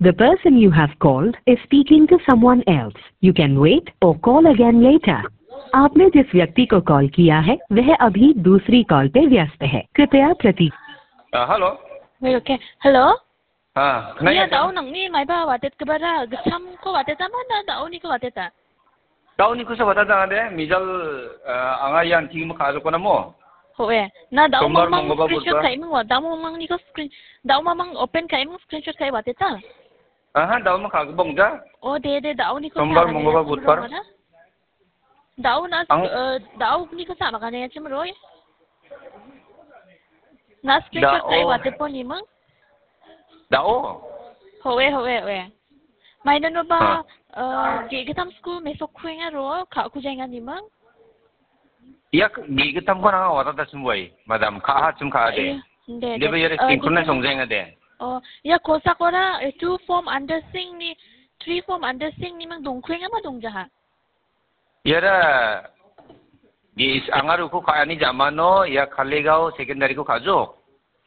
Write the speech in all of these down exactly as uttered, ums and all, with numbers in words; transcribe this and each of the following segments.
The person you have called is speaking to someone else. You can wait or call again later. आपने जिस व्यक्ति को कॉल किया है, वह अभी दूसरी कॉल पे व्यस्त है। कृपया प्रतीक्षा। Ah, hello. Wait, okay. Hello? Ah, Ia, naya, dao nangni maiba watetgipara gitchamko wateta mana daoniko wateta? Daonikosa wateta ade, mijal, ah, anga ian tingmo kajokonamo. Hoe. Na dao Sombar, mamang Mongolbar, screenshot Budbar. Kaimang wa, dao mamangniko screen, dao mamang open kaimang screenshot kai wateta? Aha, dao ma kagibong ja. Oh, de, de, daoniko Sombar, sa, Mongolbar, mane, Budbar. Mane. Dao na, Ang- eh, dao ni ko sa makane chim roi. Na screenshot Dao. Kai wate po ni mang. Dao? Hoe, hoe, hoe. Mai na no ba, Ha. Eh, ge ge tam school me so khuenga ro, ka ku jenga ni mang. Yak ge ge tam ko na wata ta sum wai, madam, ka ha sum ka de. Eh, de, De de. Ba yare Eh, synchronize ge ge tam song jenga de. Oh, ya kosa kora, eh, two form under sing ni, three form under sing ni mang dong khuenga ma dong jaha. Iara, di is-, angaruko ka·ani jamano ia Kaligao secondary-ko ka·jok.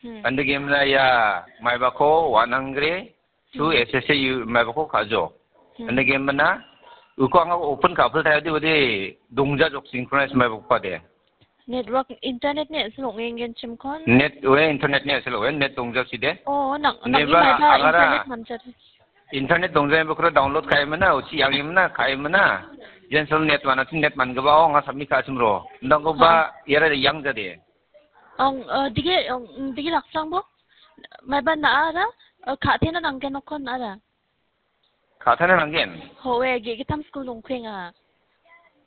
Hmm. Ande gemna ia maibako Wanangre, chu Hmm. S S A U maibako ka·jok. Hmm. Ande gemna, uko anga open ka·pil tayadi wadi dongja jok synchronize maibako pade. Network, internet ni a·sel ong·engenchimkon? Net, we, internet ni a·sel, we, net dongjaside. Oh, nang, nang Neba, imaiba agara internet manjari. Internet dongjaiba kura download kaimana, uchi yangimana, kaimana. Jensel net mana, chin net man gaba, oh, nga submit ka chimro. Ndang ko ba, Ha. Yara yang jade. Ong, eh, dige, ong, dige laksang bo? Maiba na ara, eh, ka tena nanggen okon ara. Ka·tana nanggen? Howe, ge·gittam skul dongkuenga.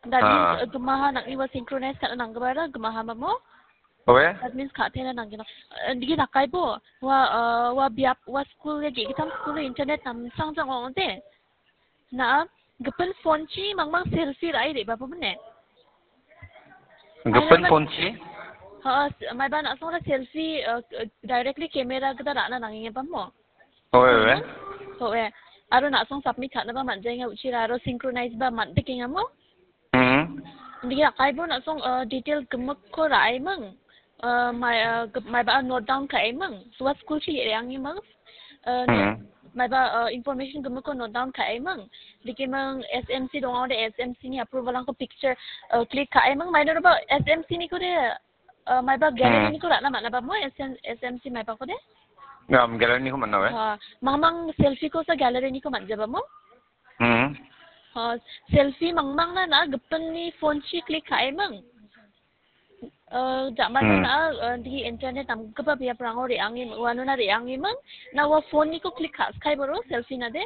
That Ah. means, uh, gimaha nang·ni ua synchronize ka·na nanggipara gimaha mamo? Howe? That means ka·tena nanggen. Uh, digi dakaibo, ua, uh, ua biap, ua skul ge·gittam skul internet namsangjang ong·ode. Na·a, gipin phone-chi mangmang selfie ra·e re·babo mine? Gipin Maiba phone-chi? Ha, s-, maiba na·songra selfie, uh, directly camera gita ra·na nangengeba mo? Owe, owe. Owe. Aro na·song submit ka·naba man·jaenga, uchira aro synchronize ba man·dikengamo? Hmm. Digi rakaibo na·song, eh, detail gimikko ra·aiming. Eh, mai, eh, gip-, maiba note down ka·aiming. Ua school chi re·angiming. Eh, no-, Hmm. maiba, eh, information gimikko note down ka·aiming. Dikiming S M C donga ode S M C ni approval-rangko picture, eh, click ka·aiming. Mainoroba S M C niko de Eh, maiba Hmm. gallery-niko ra·na man·aba mo? S M, S M C maibako de? Ngam gallery-niko man·a we. Ha, mangmang selfie-kosa gallery-niko man·jaba mo? Hmm. Ha, selfie mangmangna na gipinni phone-chi click ka·eming. Eh, ja·mano Hmm. na, eh, di internet namgipa biaprango re·angem-, uanona re·angeming. Na ua phone-niko click ka·skai boro selfie-na de?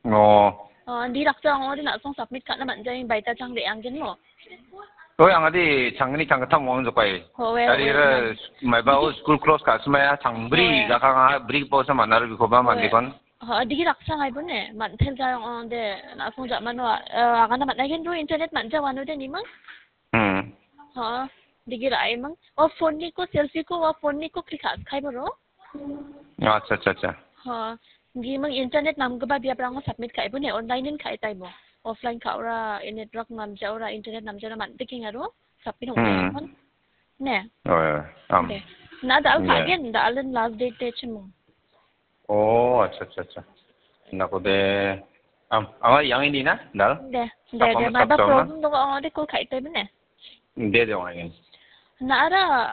Oh. Ah, di raksa ong·ode na·song submit ka·na man·jai baita chang re·anggen mo? Oi, angade changgni changgittam ong·jokai. Howe, Dari howe, ira howe. Maiba o Digi school close ka·simaya changbri Howe. Jakanga bri posa manaro bikoba Howe. Mandikon. Ha, digi raksa ngai bone, man·tel jai ong·ode na·song ja·mano, eh, agana man·aigen ro internet man·ja uanode nimang? Hmm. Ha, digi ra·emang. O phone-niko, selfie-ko, o phone-niko click ka·skai boro. Acha, acha, acha. Ha, giming internet namgipa biaprango submit ka·e bo ne, online-in ka·e taibo. Offline ka·ora, e network namjaora, internet namjaora man·dikengaro, submit Hmm. ong·e kon. Ne? Oh, ya, am. Okay. Na dal Ya. Ka·gen, dal-in last date de chimung. Oh, acha, acha, acha. Nako de, am, anga yang ini na, dal? De, de, Apa de, masa maiba problem na? Problem dong ong·ode call ka·e taibo ne? De, de, ong·a ini. Na ara,